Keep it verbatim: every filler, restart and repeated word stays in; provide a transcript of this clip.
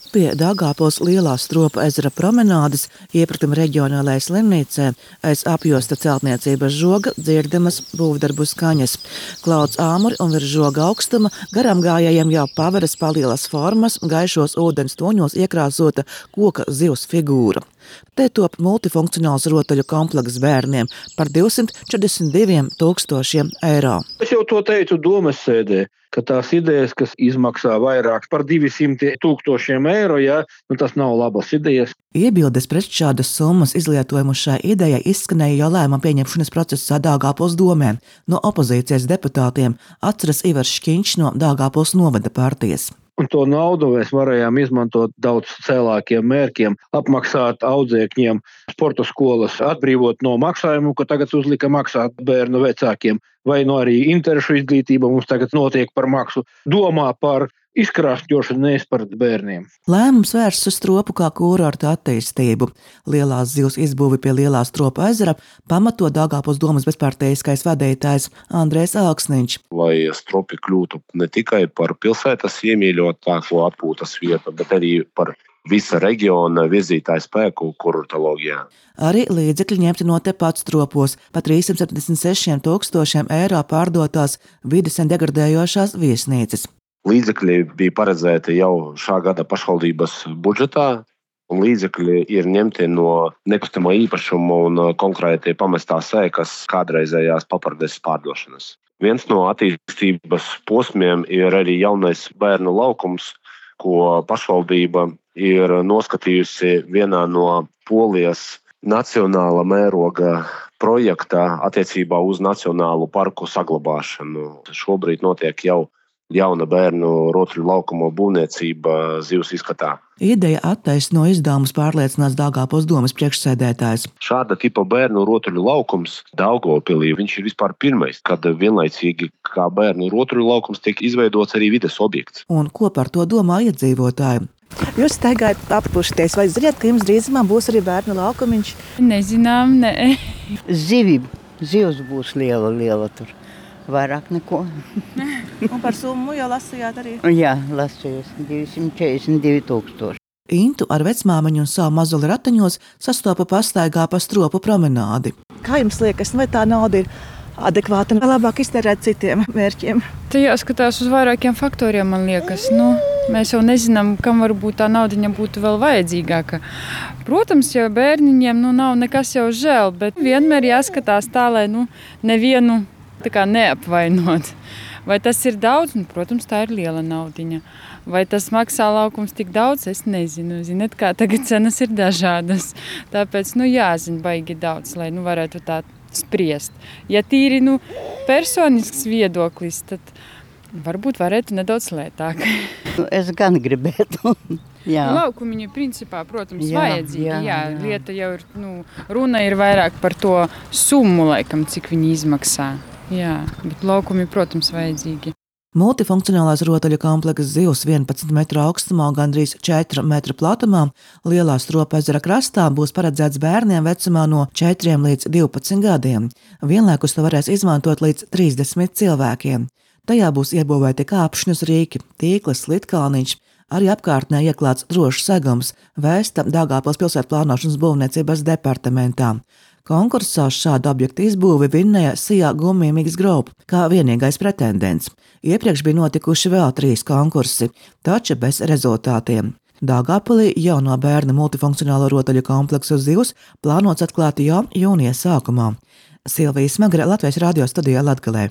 Pie Daugavpils Lielā Stropu ezera promenādes iepratuma reģionālajai slimnīcai aiz apjosta celtniecības žoga dzirdamas būvdarbu skaņas. Klauds āmuri un virs žoga augstuma garām gājējiem jau paveras palielas formas, gaišos ūdens toņos iekrāsota koka zivs figūra. Te top multifunkcionāls rotaļu komplekss bērniem par divsimt četrdesmit diviem tūkstošiem eiro. Es jau to teicu domas sēdē, ka tās idejas, kas izmaksā vairāk par divsimt tūkstošiem eiro, ja, nu tas nav labas idejas. Iebildes pret šādas summas izlietojumu šai idejai izskanēja jau lēmuma pieņemšanas procesā Daugavpils domē. No opozīcijas deputātiem atceras Ivars Škiņš no Daugavpils novada partijas. Un to naudu mēs varējām izmantot daudz cēlākiem mērķiem, apmaksāt audzēkņiem sporta skolas, atbrīvot no maksājumu, ko tagad uzlika maksāt bērnu vecākiem, vai no arī interešu izglītība mums tagad notiek par maksu. Domā par izkrāšņošanu, nevis par bērniem. Lēmums vērsts uz Stropu kā kurorta attīstību. Lielās zivs izbūvi pie Lielā Stropu ezera pamato Daugavpils domas bezparteiskais vadītājs Andrejs Alksniņš. Lai Stropi kļūtu ne tikai par pilsētas iemīļotāko atpūtas vietu, bet arī par visa reģiona virzītāju spēku kurortoloģijā. Arī līdzekļi ņemti no tepat Stropos pa trīssimt septiņdesmit sešiem tūkstošiem eiro pārdotās vides un degradējošās viesnīcas. Līdzekļi bija paredzēti jau šā gada pašvaldības budžetā, un līdzekļi ir ņemti no nekustamā īpašuma un konkrēti pamestās ēkas kādreizējās papardes pārdošanas. Viens no attīstības posmiem ir arī jaunais bērnu laukums, ko pašvaldība ir noskatījusi vienā no Polijas nacionāla mēroga projektā attiecībā uz nacionālu parku saglabāšanu. Šobrīd notiek jau jauna bērnu rotaļu laukuma būvniecība zivs izskatā. Ideja attaisno izdevumus, pārliecināts Daugavpils domas priekšsēdētājs. Šāda tipa bērnu rotaļu laukums Daugavpilī, viņš ir vispār pirmais, kad vienlaicīgi kā bērnu rotaļu laukums tiek izveidots arī vides objekts. Un ko par to domā iedzīvotāji? Jūs staigājat appušties, vai zināt, ka jums drīzumā būs arī bērnu laukumiņš? Nezinām, ne. Zivi, zivs būs liela, liela tur. Vairāk neko. Un par summu jau lasījāt arī? Jā, lasījos divsimt četrdesmit divi tūkstoši. Intu ar vecmāmiņu un savu mazuli ratiņos sastopa pastaigā pa Stropu promenādi. Kā jums liekas, vai tā nauda ir adekvāta un labāk iztērēt citiem mērķiem? Te jāskatās uz vairākiem faktoriem, man liekas. Nu, mēs jau nezinām, kam varbūt tā naudiņa būtu vēl vajadzīgāka. Protams, jau bērniņiem nu, nav nekas jau žēl, bet vienmēr jāskatās tā, lai nu, nevienu tā kā neapvainot. Vai tas ir daudz? Nu, protams, tā ir liela naudiņa. Vai tas maksā laukums tik daudz? Es nezinu. Ziniet, kā tagad cenas ir dažādas. Tāpēc, nu, jāzina baigi daudz, lai nu, varētu tā spriest. Ja tīri, nu, personisks viedoklis, tad varbūt varētu nedaudz lētāk. Es gan gribētu. Jā. Laukumiņi principā, protams, jā, vajadzīgi. Jā, jā, jā. Lieta jau ir, nu, runa ir vairāk par to summu, laikam, cik viņi izmaksā. Jā, bet laukumi, protams, vajadzīgi. Multifunkcionālās rotaļu komplekss zivs vienpadsmit metru augstumā un gandrīz četru metru platumā Lielā Stropu ezera krastā būs paredzēts bērniem vecumā no četriem līdz divpadsmit gadiem. Vienlaikus to varēs izmantot līdz trīsdesmit cilvēkiem. Tajā būs iebūvēti kāpšņus rīki, tīkls, slitkalniņš, arī apkārtnē ieklāts drošs segums, vēsta Daugavpils pilsētu plānošanas būvniecības departamentā. Konkursā uz šādu objektu izbūvi vinnēja Sijā Gumijamīgas Group kā vienīgais pretendents. Iepriekš bija notikuši vēl trīs konkursi, taču bez rezultātiem. Daugavpilī jauno bērnu multifunkcionālo rotaļu kompleksu zivs plānots atklāt jau jūnija sākumā. Silvija Smagre, Latvijas radio studijā Latgalē.